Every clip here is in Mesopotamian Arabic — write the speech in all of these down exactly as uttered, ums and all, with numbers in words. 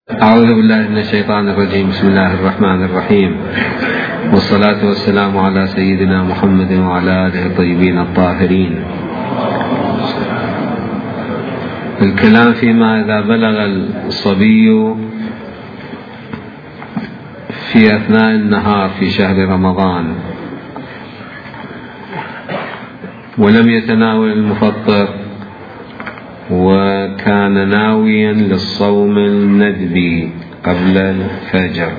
أعوذ بالله من الشيطان الرجيم. بسم الله الرحمن الرحيم، والصلاة والسلام على سيدنا محمد وعلى آله الطيبين الطاهرين. الكلام فيما إذا بلغ الصبي في أثناء النهار في شهر رمضان ولم يتناول المفطر وكان ناويا للصوم الندبي قبل الفجر.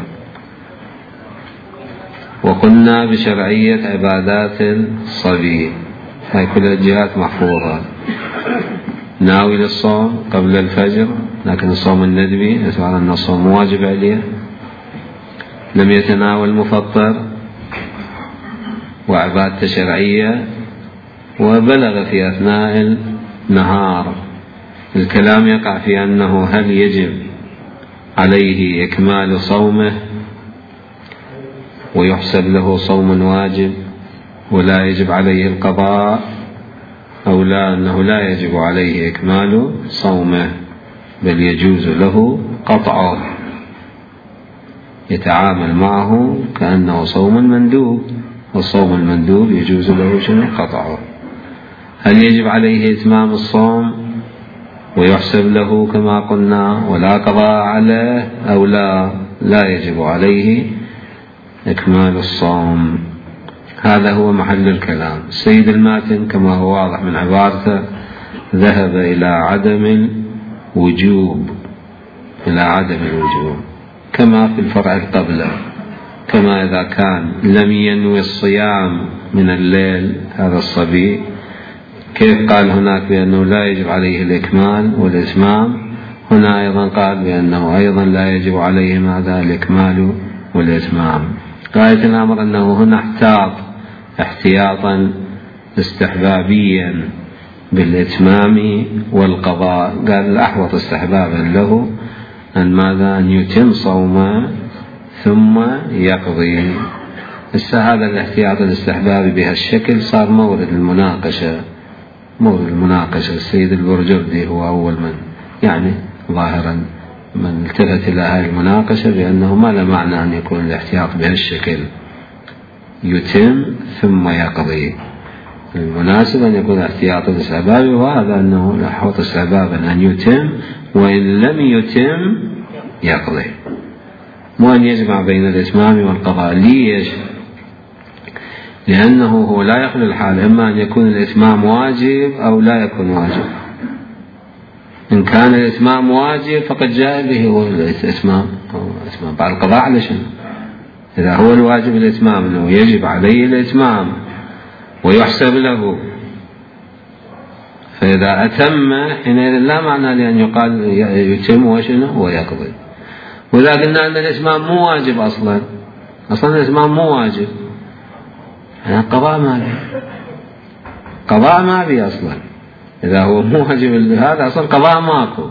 وقلنا بشرعية عبادات الصبي، هاي كل الجهات محفوظة. ناوي للصوم قبل الفجر، لكن الصوم الندبي نسمع أن الصوم واجب عليه. لم يتناول المفطر وعبادة شرعية، وبلغ في أثناء النهار. الكلام يقع في أنه هل يجب عليه إكمال صومه ويحسب له صوم واجب ولا يجب عليه القضاء، أو لا أنه لا يجب عليه إكمال صومه بل يجوز له قطعه، يتعامل معه كأنه صوم مندوب، والصوم المندوب يجوز له شنو؟ قطعه. هل يجب عليه إتمام الصوم ويحسب له كما قلنا ولا قضاء عليه، أو لا لا يجب عليه إكمال الصوم؟ هذا هو محل الكلام. السيد الماتن كما هو واضح من عبارته ذهب إلى عدم الوجوب، إلى عدم الوجوب كما في الفرع القبله. كما إذا كان لم ينوي الصيام من الليل هذا الصبي، كيف قال هناك بأنه لا يجب عليه الإكمال والإتمام، هنا أيضا قال بأنه أيضا لا يجب عليه ماذا؟ الإكمال والإتمام. غاية الأمر أنه هنا احتاط احتياطا استحبابيا بالإتمام والقضاء. قال الأحوط استحبابا له أن ماذا؟ أن يتم صومه ثم يقضي. هذا الاحتياط الاستحبابي بهالشكل صار مورد المناقشة، مورد المناقشة. السيد البرجردي هو أول من يعني ظاهرا من التفت إلى هذه المناقشة بأنه ما له معنى أن يكون الاحتياط بهالشكل، يتم ثم يقضي. المناسب أن يكون احتياطا استحبابي، وهذا أنه الأحوط استحبابا أن يتم، وإن لم يتم يقضي، مو أن يجمع بين الإتمام والقضاء. ليش؟ لأنه هو لا يخلو الحال، إما أن يكون الإتمام واجب أو لا يكون واجب. إن كان الإتمام واجب فقد جاء به هو الإتمام بعد القضاء على شنو؟ إذا هو الواجب الإتمام أنه يجب عليه الإتمام ويحسب له، فإذا أتم حينئذ لا معنى لأن يقال يتم وشنو ويقضي. وإذا قلنا أن الإتمام مو واجب أصلا، أصلا الإتمام مو واجب، يعني قضاء ما بي، قضاء ما بي أصلا. إذا هو مو واجب هذا أصلا قضاء ماكو.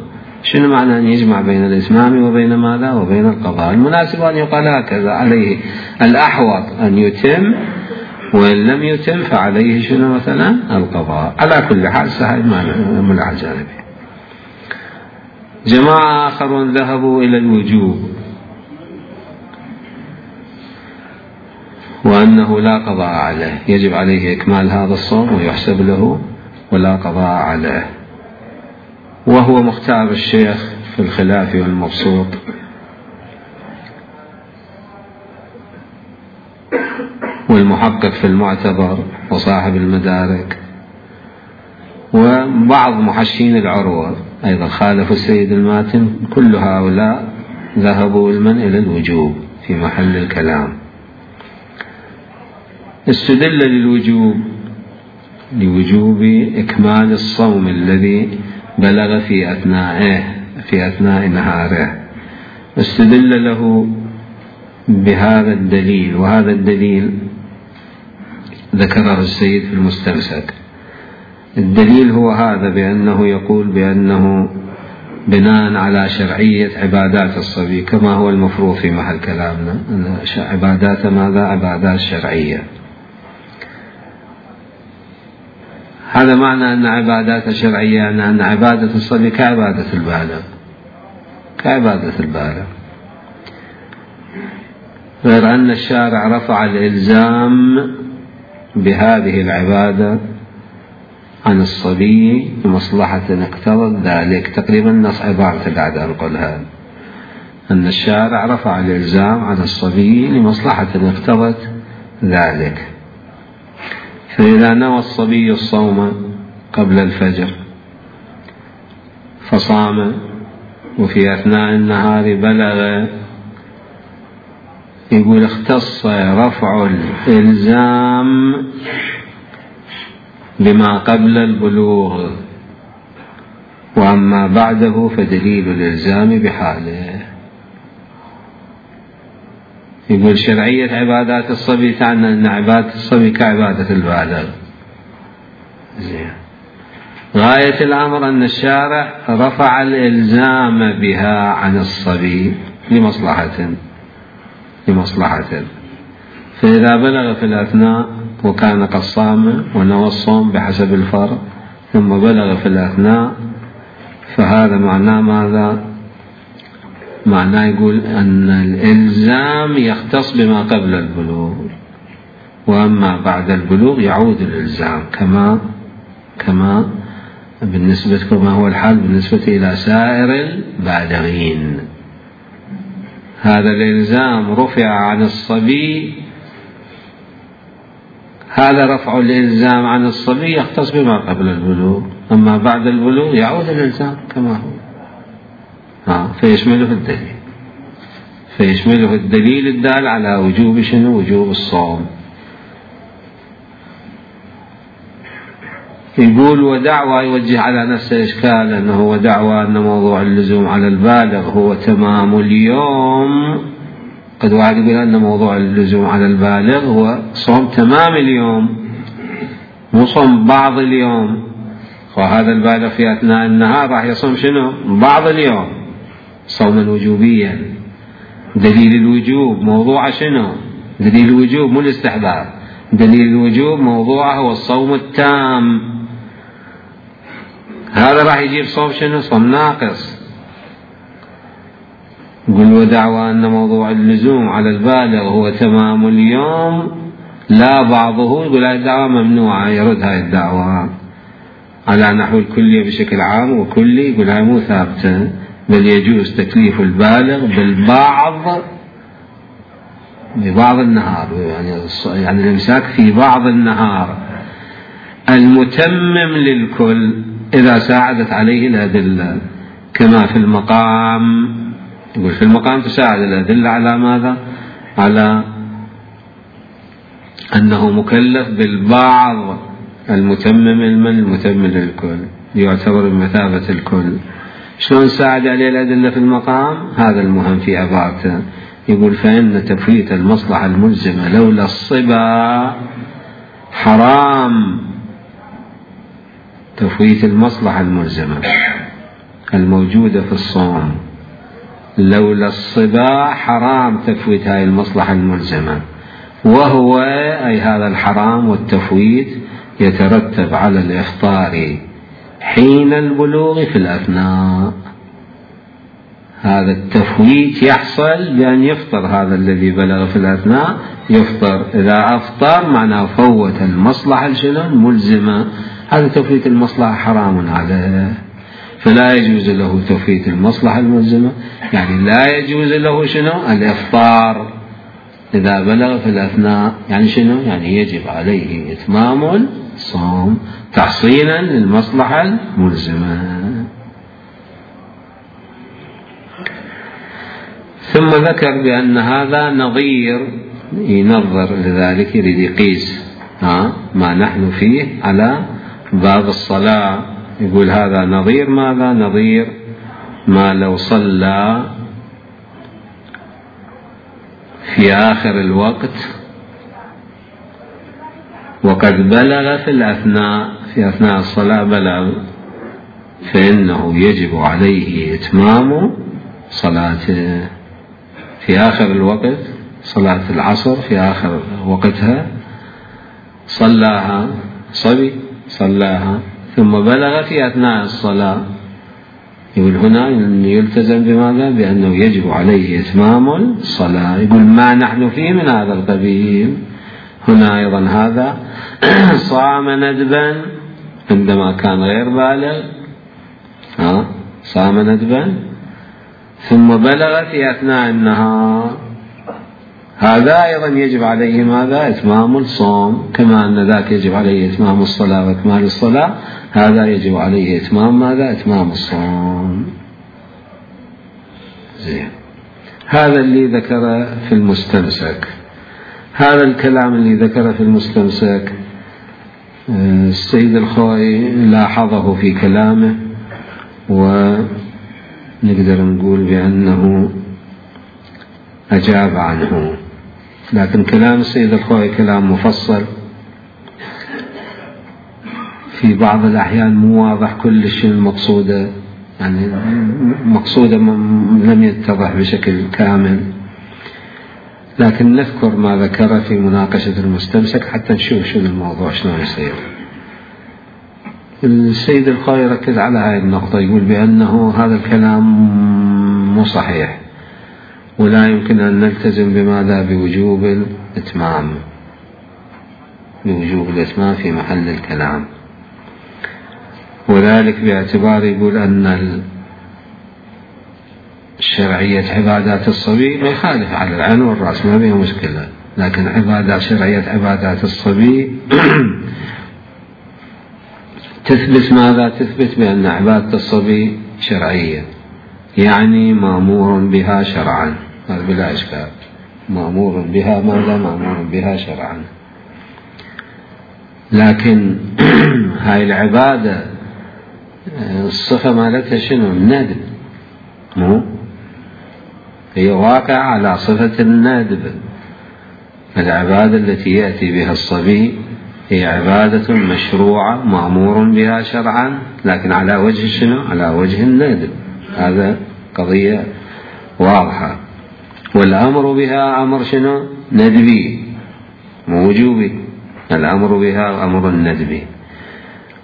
شنو معنى أن يجمع بين الإتمام وبين ماذا؟ وبين القضاء. المناسب أن يقال هكذا، عليه الأحوط أن يتم، وإن لم يتم فعليه شنو مثلا؟ القضاء. على كل حال سهل من العجانب. جماعة آخرون ذهبوا إلى الوجوب وأنه لا قضاء عليه، يجب عليه إكمال هذا الصوم ويحسب له ولا قضاء عليه. وهو مختار الشيخ في الخلاف والمبسوط، والمحقق في المعتبر، وصاحب المدارك، وبعض محشين العروة أيضا خالفوا السيد الماتن. كل هؤلاء ذهبوا المن إلى الوجوب في محل الكلام. استدل للوجوب لوجوب إكمال الصوم الذي بلغ في أثنائه في أثناء نهاره. استدل له بهذا الدليل، وهذا الدليل ذكره السيد في المستمسك. الدليل هو هذا، بأنه يقول بأنه بناء على شرعية عبادات الصبي كما هو المفروض في محل كلامنا، أن عبادات ماذا؟ عبادات شرعية. هذا معنى أن عبادات شرعية أن عبادة الصبي كعبادة البالغ، كعبادة البالغ، غير أن الشارع رفع الإلزام بهذه العبادة عن الصبي بمصلحة اقتضت ذلك. تقريبا نص عبارة بعد أنقلها، أن الشارع رفع الإلزام عن الصبي لمصلحة اقتضت ذلك. فإذا نوى الصبي الصوم قبل الفجر فصام وفي أثناء النهار بلغ، يقول اختص رفع الإلزام بما قبل البلوغ، وأما بعده فدليل الإلزام بحاله. يقول شرعية عبادات الصبي تعني أن عبادة الصبي كعبادة البالغ. غاية الأمر أن الشارع رفع الإلزام بها عن الصبي لمصلحة لمصلحة فإذا بلغ في الأثناء وكان قد صام ونوى الصوم بحسب الفرض ثم بلغ في الأثناء، فهذا معناه ماذا؟ معناه يقول أن الإلزام يختص بما قبل البلوغ، وأما بعد البلوغ يعود الإلزام كما كما بالنسبة كما هو الحال بالنسبة إلى سائر البالغين. هذا الإلزام رفع عن الصبي، هذا رفع الإلزام عن الصبي يختص بما قبل البلوغ، أما بعد البلوغ يعود الإلزام كما هو. ها فيشمله الدليل فيشمله الدليل الدال على وجوب شنو؟ وجوب الصوم. يقول ودعوى يوجه على نفسه إشكال أنه ودعوى أن موضوع اللزوم على البالغ هو تمام اليوم. قد واحد يقول أن موضوع اللزوم على البالغ هو صوم تمام اليوم مو صوم بعض اليوم، وهذا البالغ في أثناء النهار راح يصوم شنو؟ بعض اليوم صوما وجوبيا. دليل الوجوب موضوع شنو؟ دليل الوجوب مو الاستحباب، دليل الوجوب موضوعه هو الصوم التام. هذا راح يجيب صوم شنو؟ صوم ناقص. قل ودعوى أن موضوع اللزوم على البالغ هو تمام اليوم لا بعضه، يقول هذه الدعوة ممنوعة، يرد هذه الدعوة على نحو الكلية بشكل عام، وكلي يقول هذه مو ثابتة، بل يجوز تكليف البالغ بالبعض ببعض النهار، يعني يعني الإمساك في بعض النهار المتمم للكل إذا ساعدت عليه الأدلة، كما في المقام. يقول في المقام تساعد الأدلة على ماذا؟ على أنه مكلف بالبعض المتمم المن المتمم للكل يعتبر بمثابة الكل. شلون ساعد عليه الأدلة في المقام؟ هذا المهم في عبارته. يقول فإن تفويت المصلحة الملزمة لولا الصبا حرام. تفويت المصلحة الملزمة الموجودة في الصوم لولا الصبا حرام تفويت هذه المصلحة الملزمة، وهو أي هذا الحرام والتفويت يترتب على الإفطار حين البلوغ في الأثناء. هذا التفويت يحصل بأن يفطر هذا الذي بلغ في الأثناء، يفطر. إذا أفطر معناه فوت المصلحة الملزمة، هذا تفويت المصلحة حرام عليه، فلا يجوز له تفويت المصلحة الملزمة، يعني لا يجوز له شنو؟ الإفطار إذا بلغ في الأثناء. يعني شنو؟ يعني يجب عليه إتمام الصوم تحصيلا للمصلحة الملزمة. ثم ذكر بأن هذا نظير، ينظر لذلك يريد يقيس ها ما نحن فيه على باب الصلاة. يقول هذا نظير ماذا؟ نظير ما لو صلى في آخر الوقت وقد بلغ في الأثناء، في أثناء الصلاة بلغ، فإنه يجب عليه إتمام صلاته في آخر الوقت. صلاة العصر في آخر وقتها صلاها صبي صلاها ثم بلغ في أثناء الصلاة، يقول هنا يلتزم بماذا؟ بأنه يجب عليه إتمام الصلاة. يقول ما نحن فيه من هذا القبيل. هنا أيضا هذا صام ندبا عندما كان غير بالغ، ها صام ندبا ثم بلغ في أثناء النهار، هذا أيضا يجب عليه ماذا؟ إتمام الصوم، كما أن ذاك يجب عليه إتمام الصلاة وإكمال الصلاة، هذا يجب عليه إتمام ماذا؟ إتمام الصوم. زين. هذا اللي ذكر في المستمسك. هذا الكلام اللي ذكر في المستمسك السيد الخوئي لاحظه في كلامه، ونقدر نقول بأنه أجاب عنه، لكن كلام السيد الخوئي كلام مفصل في بعض الأحيان مو واضح كل شيء المقصودة، يعني مقصودة لم يتضح بشكل كامل، لكن نذكر ما ذكر في مناقشة المستمسك حتى نشوف شو الموضوع شلون يصير. السيد الخوئي ركز على هذه النقطة، يقول بأنه هذا الكلام مو صحيح، ولا يمكن أن نلتزم بماذا؟ بوجوب الإتمام، بوجوب الإتمام في محل الكلام، وذلك باعتبار يقول أن شرعية عبادات الصبي ما يخالف على العين والرأس، ما بها مشكلة، لكن عبادات شرعية عبادات الصبي تثبت ماذا؟ تثبت بأن عبادة الصبي شرعية، يعني مأمور بها شرعا، بلا إشكال، مأمور بها ماذا؟ مأمور بها شرعا. لكن هاي العبادة الصفة مالتها شنو؟ الندب، مو هي واقع على صفة الندب. العبادة التي يأتي بها الصبي هي عبادة مشروعة مأمور بها شرعا، لكن على وجه شنو؟ على وجه الندب. هذا قضية واضحة. والأمر بها أمر شنو؟ ندبي، مو وجوبي. الأمر بها أمر ندبي،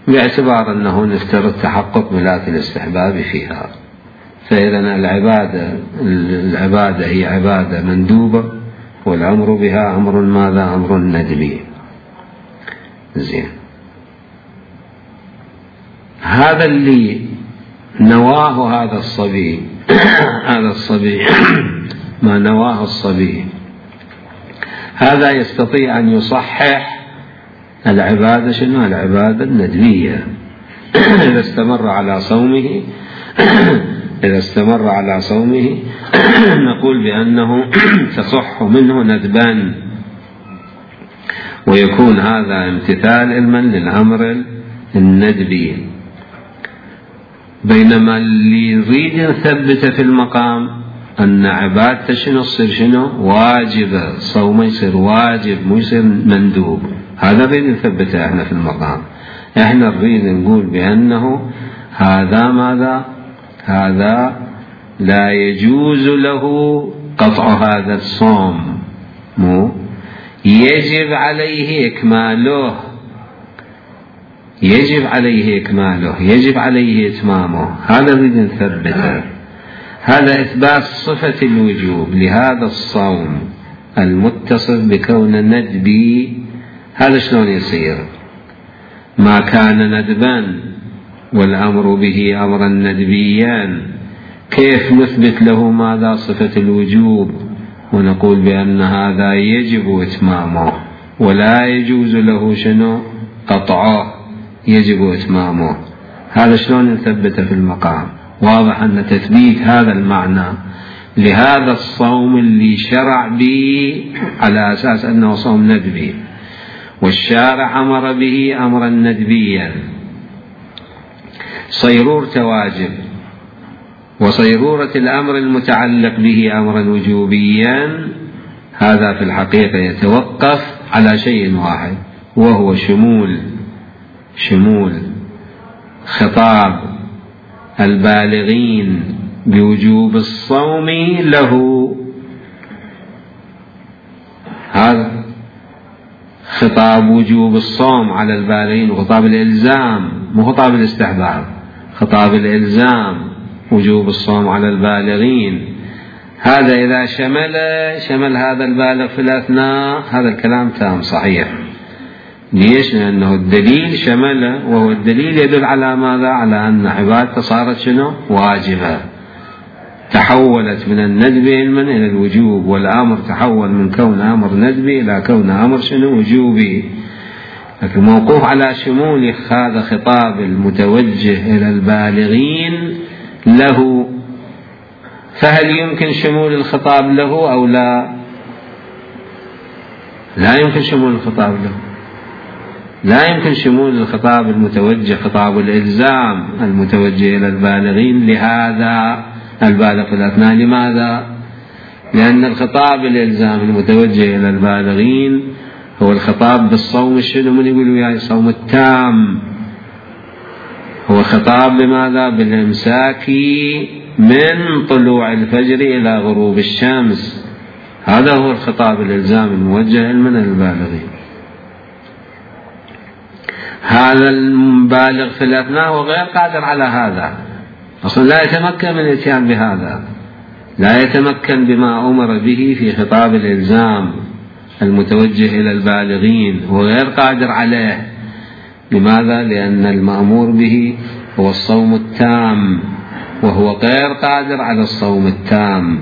باعتبار أنه نفترض تحقق ملاك الاستحباب فيها. فإذا العبادة العبادة هي عبادة مندوبة، والأمر بها أمر ماذا؟ أمر ندبي. زين. هذا اللي نواه هذا الصبي هذا الصبي ما نواه الصبي، هذا يستطيع أن يصحح العبادة شنو؟ العبادة الندبية. إذا استمر على صومه إذا استمر على صومه نقول بأنه تصح منه ندبان، ويكون هذا امتثال علما للأمر الندبي. بينما اللي يريد يثبت في المقام أن عبادته شنو تصير شنو؟ واجبة، صومه يصير واجب مو يصير مندوب، هذا نريد نثبته احنا في المقام. احنا نريد نقول بأنه هذا ماذا؟ هذا لا يجوز له قطع هذا الصوم، مو يجب عليه إكماله، يجب عليه إكماله، يجب عليه إتمامه، هذا نريد نثبته. هذا إثبات صفة الوجوب لهذا الصوم المتصف بكون ندبي. هذا شلون يصير؟ ما كان ندبا والأمر به أمرا ندبيا، كيف نثبت له ماذا؟ صفة الوجوب، ونقول بأن هذا يجب إتمامه ولا يجوز له شنو؟ قطعه، يجب إتمامه. هذا شلون نثبته في المقام؟ واضح أن تثبيت هذا المعنى لهذا الصوم اللي شرع به على أساس أنه صوم ندبي، والشارع أمر به أمرا ندبيا، صيرورة واجب، وصيرورة الأمر المتعلق به أمرا وجوبيا، هذا في الحقيقة يتوقف على شيء واحد، وهو شمول شمول خطاب البالغين بوجوب الصوم له. هذا خطاب وجوب الصوم على البالغين، خطاب الإلزام، مو خطاب الاستحباب، خطاب الإلزام وجوب الصوم على البالغين. هذا إذا شمل شمل هذا البالغ في الأثناء، هذا الكلام تام صحيح. ليش؟ لأنه الدليل شمله، وهو الدليل يدل على ماذا؟ على أن عبادته صارت شنو؟ واجبة، تحولت من الندب علما إلى الوجوب، والأمر تحول من كون أمر ندبي إلى كون أمر شنو؟ وجوبي. لكن موقوف على شمول هذا خطاب المتوجه إلى البالغين له، فهل يمكن شمول الخطاب له أو لا؟ لا يمكن شمول الخطاب له، لا يمكن شمول الخطاب المتوجه خطاب الإلزام المتوجه إلى البالغين لهذا البالغ في الأثناء. لماذا؟ لأن الخطاب الإلزام المتوجه إلى البالغين هو الخطاب بالصوم الشنو؟ من يقول وياي؟ الصوم التام. هو خطاب بماذا؟ بالإمساك من طلوع الفجر إلى غروب الشمس. هذا هو الخطاب الإلزام الموجه من البالغين. هذا البالغ في الأثناء هو غير قادر على هذا، أصلا لا يتمكن من الاتيان بهذا، لا يتمكن بما أمر به في خطاب الإلزام المتوجه إلى البالغين، هو غير قادر عليه. لماذا؟ لأن المأمور به هو الصوم التام، وهو غير قادر على الصوم التام.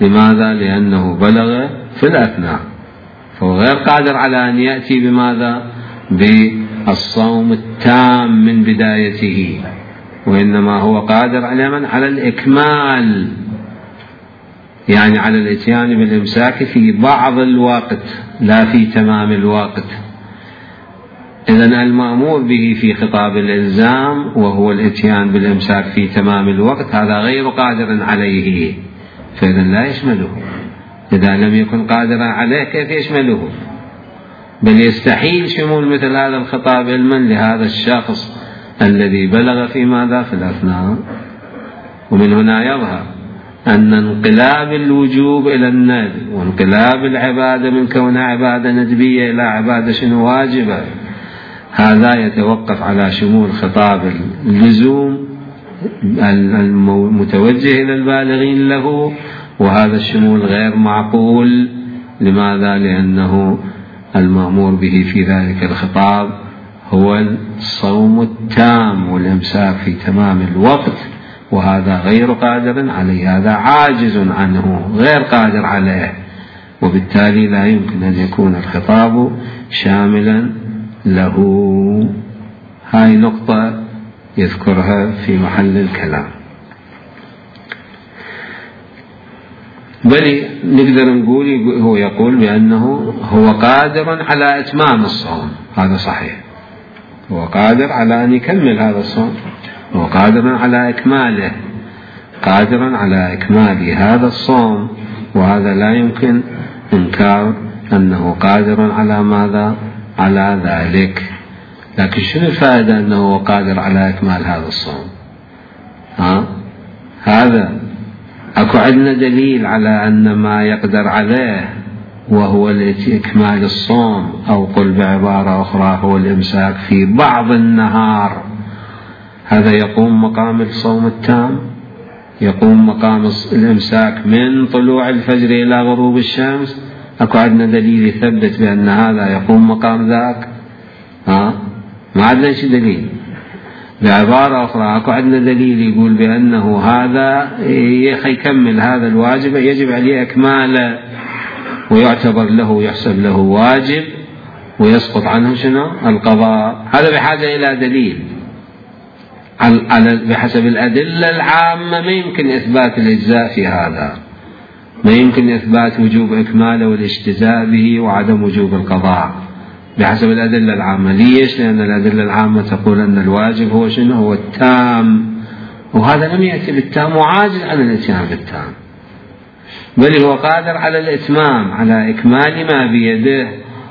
لماذا؟ لأنه بلغ في الأثناء، فهو غير قادر على أن يأتي بماذا؟ بالصوم التام من بدايته، وإنما هو قادر على من؟ على الإكمال، يعني على الاتيان بالإمساك في بعض الوقت لا في تمام الوقت. إذن المأمور به في خطاب الإلزام وهو الاتيان بالإمساك في تمام الوقت هذا غير قادر عليه، فإذن لا يشمله. إذا لم يكن قادرا عليه كيف يشمله؟ بل يستحيل شمول مثل هذا الخطاب علما لهذا الشخص الذي بلغ في ماذا؟ في الأثناء. ومن هنا يظهر أن انقلاب الوجوب إلى الندب، وانقلاب العبادة من كونها عبادة ندبية إلى عبادة شنو؟ واجبة، هذا يتوقف على شمول خطاب اللزوم المتوجه إلى البالغين له، وهذا الشمول غير معقول. لماذا؟ لأنه المأمور به في ذلك الخطاب هو الصوم التام والإمساك في تمام الوقت، وهذا غير قادر عليه، هذا عاجز عنه غير قادر عليه، وبالتالي لا يمكن أن يكون الخطاب شاملا له. هاي نقطة يذكرها في محل الكلام. بل نقدر نقول هو يقول بأنه هو قادر على إتمام الصوم، هذا صحيح، هو قادر على أن يكمل هذا الصوم، هو قادر على إكماله، قادر على إكمال هذا الصوم، وهذا لا يمكن إنكار أنه قادر على ماذا؟ على ذلك. لكن شنو الفائدة أنه قادر على إكمال هذا الصوم؟ ها؟ هذا أكو عندنا دليل على أن ما يقدر عليه وهو إكمال الصوم، أو قل بعبارة أخرى هو الإمساك في بعض النهار، هذا يقوم مقام الصوم التام، يقوم مقام الإمساك من طلوع الفجر إلى غروب الشمس. أكو عندنا دليل يثبت بأن هذا يقوم مقام ذاك؟ ها؟ ما عندنا شي دليل. بعبارة أخرى أكو عندنا دليل يقول بأنه هذا يكمل هذا الواجب، يجب عليه إكماله ويعتبر له يحسب له واجب ويسقط عنه شنو؟ القضاء. هذا بحاجة إلى دليل. على بحسب الأدلة العامة ما يمكن إثبات الإجزاء في هذا، ما يمكن إثبات وجوب إكماله والاجتزاء به وعدم وجوب القضاء بحسب الأدلة العامة. ليش؟ لأن الأدلة العامة تقول أن الواجب هو شنو؟ هو التام، وهذا لم يأتي بالتام وعاجز عن الاتيان بالتام، بل هو قادر على الإتمام، على إكمال ما بيده.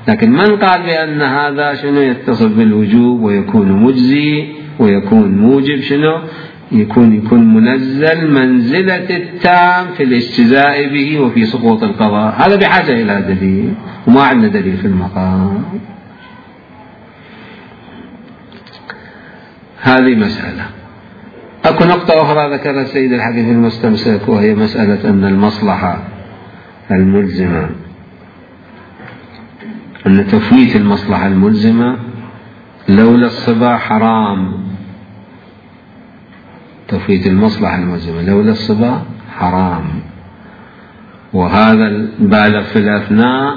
لكن من قال بأن هذا شنو؟ يتصل بالوجوب ويكون مجزي ويكون موجب شنو؟ يكون يكون منزل منزلة التام في الاجتزاء به وفي سقوط القضاء. هذا بحاجة إلى دليل، وما عندنا دليل في المقام. هذه مسألة. أكو نقطة أخرى ذكرها السيد الحديث المستمسك، وهي مسألة أن المصلحة الملزمة، أن تفويت المصلحة الملزمة لولا الصبا حرام. تفويت المصلحة الملزمة لولا الصبا حرام، وهذا البالغ في الأثناء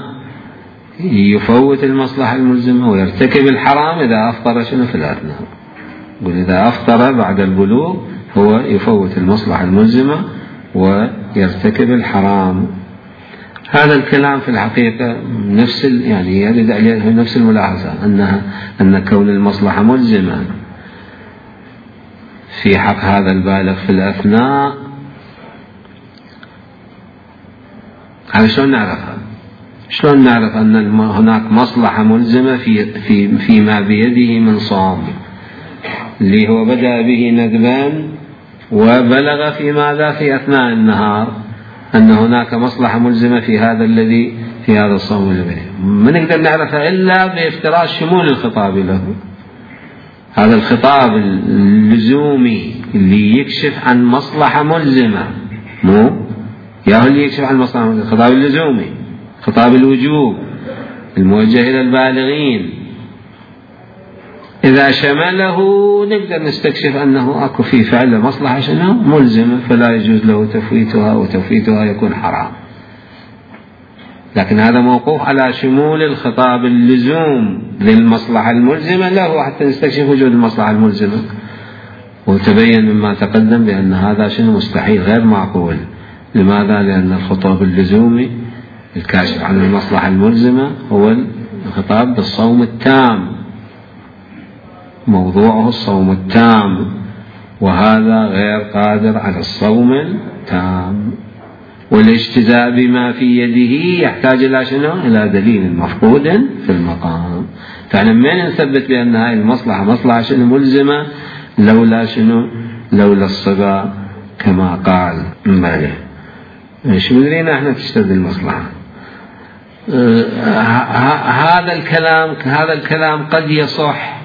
يفوت المصلحة الملزمة ويرتكب الحرام إذا أفطر شنو في الأثناء. وإذا أفطر بعد البلوغ هو يفوت المصلحة الملزمة ويرتكب الحرام. هذا الكلام في الحقيقة نفس يعني يرد عليه نفس الملاحظة، أنها أن كون المصلحة ملزمة في حق هذا البالغ في الأثناء، هذا شلون نعرفها؟ شلون نعرف أن هناك مصلحة ملزمة في في فيما بيده من صوم، اللي هو بدأ به ندبا وبلغ في ماذا في أثناء النهار، أن هناك مصلحة ملزمة في هذا الذي في هذا الصوم الذي ما نقدر نعرفها إلا بافتراض شمول الخطاب له. هذا الخطاب اللزومي اللي يكشف عن مصلحة ملزمة، مو يا هو اللي يكشف عن مصلحة ملزمة، الخطاب اللزومي، خطاب الوجوب الموجه إلى البالغين، إذا شمله نقدر نستكشف أنه أكو في فعل مصلحة شنو ملزمة، فلا يجوز له تفويتها، وتفويتها يكون حرام. لكن هذا موقوف على شمول الخطاب اللزوم للمصلحة الملزمة له حتى نستكشف وجود المصلحة الملزمة. وتبين مما تقدم بأن هذا شنو مستحيل غير معقول. لماذا؟ لأن الخطاب اللزومي الكاشف عن المصلحة الملزمة هو الخطاب بالصوم التام، موضوعه الصوم التام، وهذا غير قادر على الصوم التام. والاجتزاء بما في يده يحتاج إلى شنو؟ إلى دليل مفقود في المقام. فاحنا من نثبت بأن هذه المصلحة مصلحة شنو ملزمة لولا شنو؟ لولا الصبا كما قال مبالغ. شو مدرينا احنا تشتد المصلحة. هذا الكلام هذا الكلام قد يصح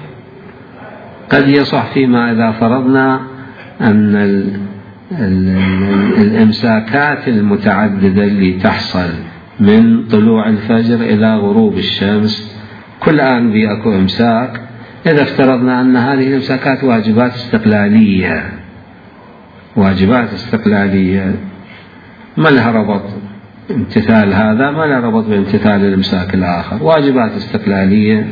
قد يصح فيما إذا فرضنا أن ال ال الإمساكات المتعددة اللي تحصل من طلوع الفجر إلى غروب الشمس كل آن بيأكو إمساك، إذا افترضنا أن هذه الإمساكات واجبات استقلالية واجبات استقلالية ما لها ربط امتثال هذا ما لها ربط بامتثال الإمساك الآخر، واجبات استقلالية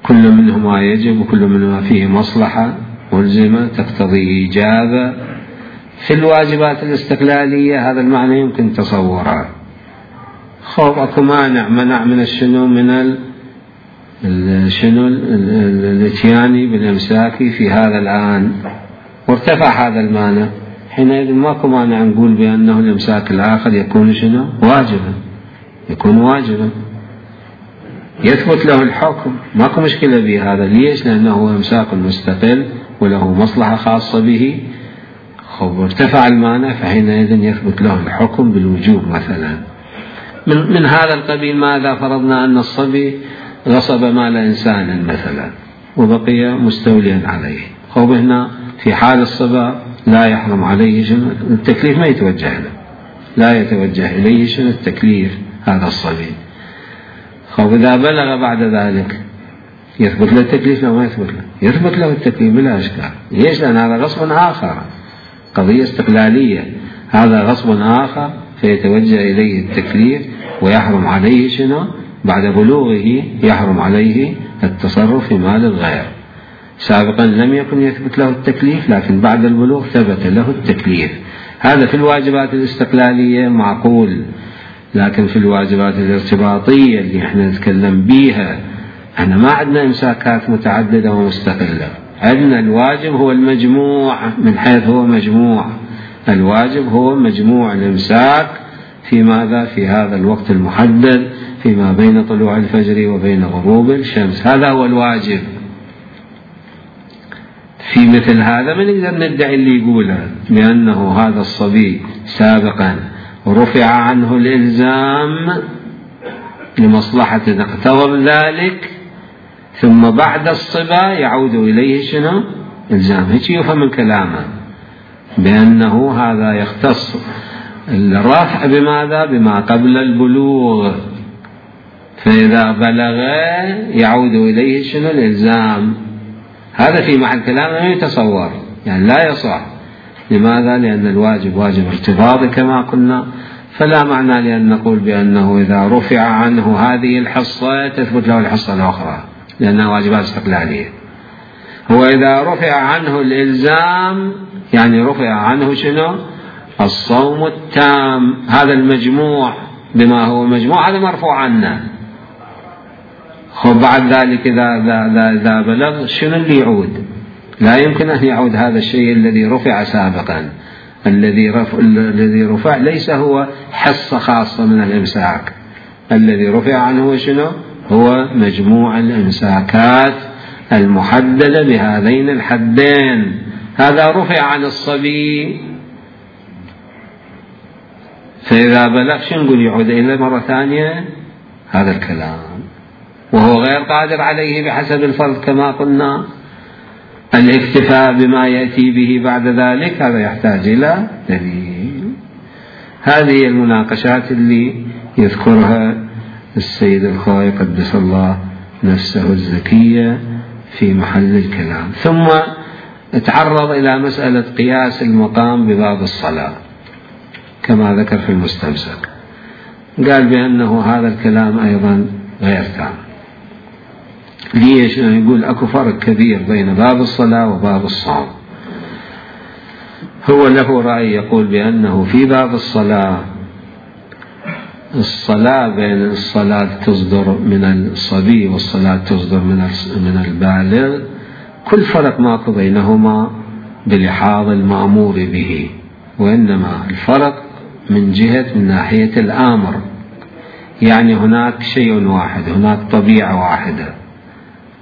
كل منهما يجب وكل منهما فيه مصلحة ملزمة تقتضي إيجابه. في الواجبات الاستقلالية هذا المعنى يمكن تصوره. خوف أكو مانع منع من الشنو من ال شنو الاتياني بالإمساك في هذا الآن، وارتفع هذا المانع، حينئذ ماكو مانع نقول بأنه الإمساك الآخر يكون شنو واجبا، يكون واجبا يثبت له الحكم، ماكو مشكلة بهذا. ليش؟ لأنه إمساك مستقل وله مصلحة خاصة به. خب ارتفع المانع فحينئذ يثبت له الحكم بالوجوب مثلا. من, من هذا القبيل ماذا فرضنا أن الصبي غصب مال إنسان مثلا وبقي مستوليا عليه، خب هنا في حال الصبا لا يحرم عليه شنو التكليف، ما يتوجه له، لا يتوجه إليه شنو التكليف هذا الصبي. خب إذا بلغ بعد ذلك يثبت له التكليف لو ما يثبت له؟ يثبت له التكليف بلا إشكال. ليش؟ لأن هذا غصب آخر، قضية استقلالية، هذا غصب آخر فيتوجه إليه التكليف ويحرم عليه شنو بعد بلوغه، يحرم عليه التصرف في مال الغير. سابقا لم يكن يثبت له التكليف، لكن بعد البلوغ ثبت له التكليف. هذا في الواجبات الاستقلالية معقول، لكن في الواجبات الارتباطية اللي احنا نتكلم بيها احنا ما عندنا امساكات متعددة ومستقلة، عندنا الواجب هو المجموع، من حيث هو مجموع الواجب هو مجموع الامساك في ماذا؟ في هذا الوقت المحدد فيما بين طلوع الفجر وبين غروب الشمس، هذا هو الواجب. في مثل هذا ما نقدر ندعي اللي يقوله بأنه هذا الصبي سابقا رفع عنه الإلزام لمصلحة اقتضى ذلك، ثم بعد الصبا يعود إليه شنو إلزام. هيك يفهم من كلامه بأنه هذا يختص الرفع بماذا؟ بما قبل البلوغ، فإذا بلغ يعود إليه شنو؟ الإلزام. هذا في محل كلامه يتصور، يعني لا يصح. لماذا؟ لأن الواجب واجب ارتباطي كما قلنا، فلا معنى لأن نقول بأنه إذا رفع عنه هذه الحصة تثبت له الحصة الأخرى لأنها واجبات استقلالية. هو إذا رفع عنه الإلزام يعني رفع عنه شنو؟ الصوم التام، هذا المجموع بما هو مجموع هذا مرفوع عنه. خب بعد ذلك إذا, إذا, إذا بلغ شنو اللي يعود؟ لا يمكن أن يعود هذا الشيء الذي رفع سابقا. الذي رفع, الذي رفع ليس هو حصة خاصة من الإمساك، الذي رفع عنه شنو؟ هو مجموع الإمساكات المحددة بهذين الحدين. هذا رفع عن الصبي، فإذا بلغ شنو نقول؟ يعود إلى مرة ثانية هذا الكلام، وهو غير قادر عليه بحسب الفرض كما قلنا. الاكتفاء بما يأتي به بعد ذلك هذا يحتاج إلى دليل. هذه المناقشات اللي يذكرها السيد الخوئي قدس الله نفسه الزكية في محل الكلام. ثم تعرض إلى مسألة قياس المقام بباب الصلاة كما ذكر في المستمسك، قال بأنه هذا الكلام أيضا غير تام. ليش؟ يقول أكو فرق كبير بين باب الصلاة وباب الصوم. هو له رأي يقول بأنه في باب الصلاة الصلاة بين الصلاة تصدر من الصبي والصلاة تصدر من من البالغ كل فرق ماكو بينهما بلحاظ المأمور به، وإنما الفرق من جهة من ناحية الآمر. يعني هناك شيء واحد، هناك طبيعة واحدة،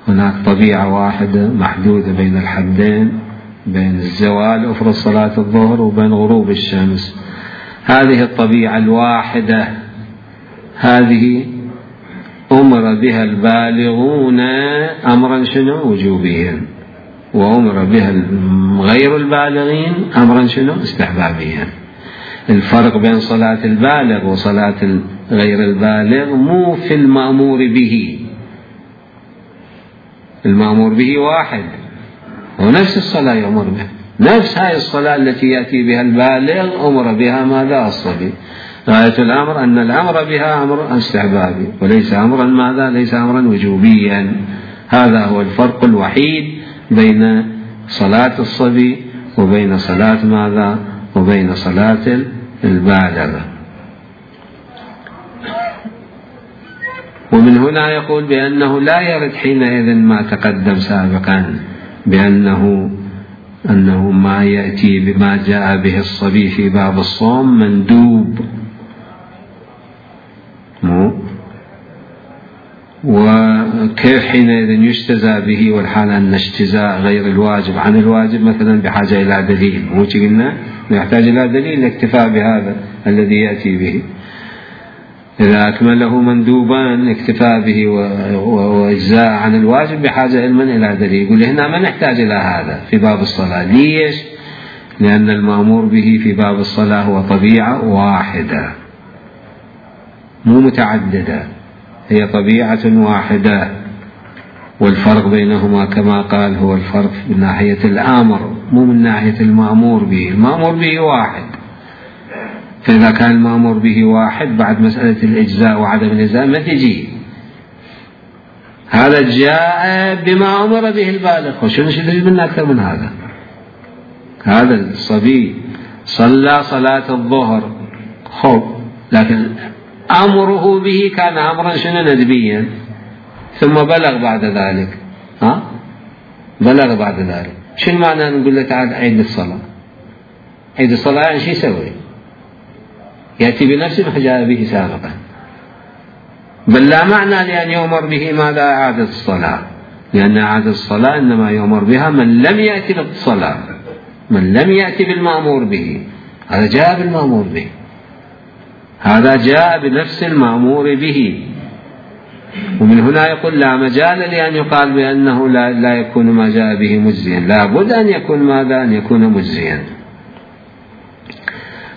هناك طبيعة واحدة محدودة بين الحدين، بين الزوال أفرض صلاة الظهر وبين غروب الشمس. هذه الطبيعة الواحدة هذه أمر بها البالغون أمرا شنو؟ وجوبيا، وأمر بها غير البالغين أمرا شنو؟ استحبابيا. الفرق بين صلاة البالغ وصلاة غير البالغ مو في المأمور به، المأمور به واحد ونفس الصلاة يأمر به، نفس هاي الصلاة التي يأتي بها البالغ أمر بها ماذا؟ الصبي. غاية الأمر أن الأمر بها أمر استحبابي وليس أمرا ماذا؟ ليس أمرا وجوبيا. هذا هو الفرق الوحيد بين صلاة الصبي وبين صلاة ماذا؟ وبين صلاة البالغ. ومن هنا يقول بأنه لا يرد حينئذ ما تقدم سابقا بأنه أنه ما يأتي بما جاء به الصبي في باب الصوم مندوب، وكيف حينئذ يجتزى به والحال أن اجتزاء غير الواجب عن الواجب مثلا بحاجة إلى دليل. مو قلنا يحتاج إلى دليل الاكتفاء بهذا الذي يأتي به. إذا أكمله مندوبا اكتفاء به وإجزاء عن الواجب بحاجة علما إلى دليل. يقول هنا ما نحتاج إلى هذا في باب الصلاة. ليش؟ لأن المأمور به في باب الصلاة هو طبيعة واحدة مو متعددة، هي طبيعة واحدة، والفرق بينهما كما قال هو الفرق من ناحية الآمر مو من ناحية المأمور به. المأمور به واحد، فإذا كان المأمور به واحد بعد مسألة الإجزاء وعدم الإجزاء ما تجي. هذا جاء بما أمر به البالغ، وشنو شديد منا أكثر من هذا؟ هذا الصبي صلى صلاة الظهر خب، لكن أمره به كان أمرا شنو؟ ندبيا، ثم بلغ بعد ذلك. ها بلغ بعد ذلك شنو معنى نقول له تعال عيد الصلاة؟ عيد الصلاة يعني شو يسوي؟ يأتي بنفس ما جاء به سابقا، بل لا معنى لأن يؤمر به ماذا؟ إعادة الصلاة، لأن إعادة الصلاة إنما يؤمر بها من لم يأتي بالصلاة، من لم يأتي بالمأمور به. هذا جاء بالمأمور به، هذا جاء بنفس المأمور به. ومن هنا يقول لا مجال لأن يقال بأنه لا, لا يكون ما جاء به مجزيا، لا بد أن يكون ماذا؟ أن يكون مجزيا.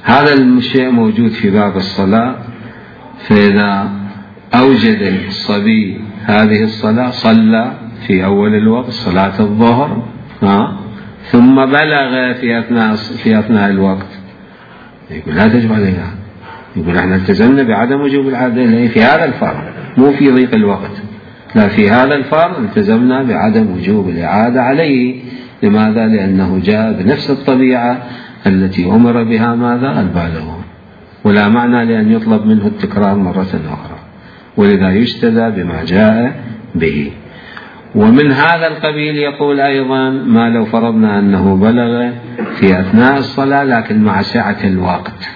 هذا الشيء موجود في باب الصلاة. فإذا أوجد الصبي هذه الصلاة صلى في أول الوقت صلاة الظهر ثم بلغ في أثناء, في أثناء الوقت، يقول لا تجب عليها، يقول احنا التزمنا بعدم وجوب العادة في هذا الفرض، مو في ضيق الوقت، لا في هذا الفرض التزمنا بعدم وجوب الإعادة عليه. لماذا؟ لأنه جاء بنفس الطبيعة التي أمر بها ماذا؟ البالغون، ولا معنى لأن يطلب منه التكرار مرة أخرى، ولذا يجتدى بما جاء به. ومن هذا القبيل يقول أيضا ما لو فرضنا أنه بلغ في أثناء الصلاة لكن مع سعة الوقت،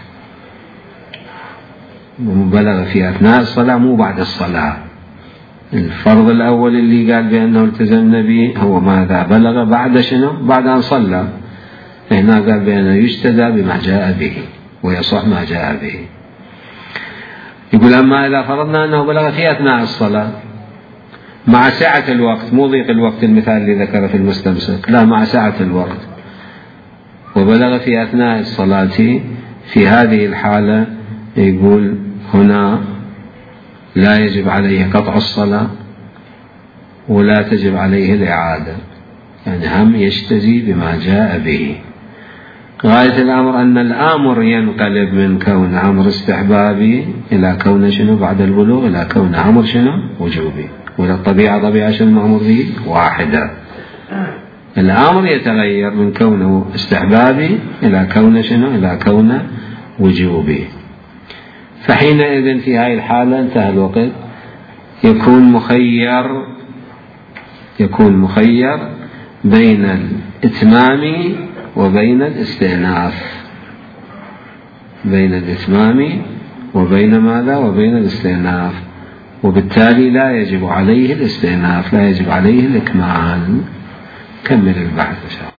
بلغ في أثناء الصلاة مو بعد الصلاة. الفرض الأول اللي قال بأنه التزمنا به هو ماذا؟ بلغ بعد شنو؟ بعد أن صلى. هنا قال بأنه يجتدى بما جاء به ويصح ما جاء به. يقول أما إذا فرضنا أنه بلغ في أثناء الصلاة مع سعة الوقت، مو ضيق الوقت المثال اللي ذكره في المستمسك، لا مع سعة الوقت، وبلغ في أثناء الصلاة، في هذه الحالة يقول هنا لا يجب عليه قطع الصلاة ولا تجب عليه الإعادة، يعني هم يجتزي بما جاء به. غاية الأمر أن الأمر ينقلب من كون أمر استحبابي إلى كون شنو بعد البلوغ، إلى كون أمر شنو وجوبي، ولا الطبيعة طبيعة شنو المأمور به واحدة. الأمر يتغير من كونه استحبابي إلى كون شنو إلى كون وجوبي. فحينئذ في هذه الحالة انتهى الوقت، يكون مخير يكون مخير بين الإتمام وبين الاستئناف، بين الإتمام وبين ماذا؟ وبين الاستئناف، وبالتالي لا يجب عليه الاستئناف، لا يجب عليه الإكمال. كمل البحث إن شاء الله.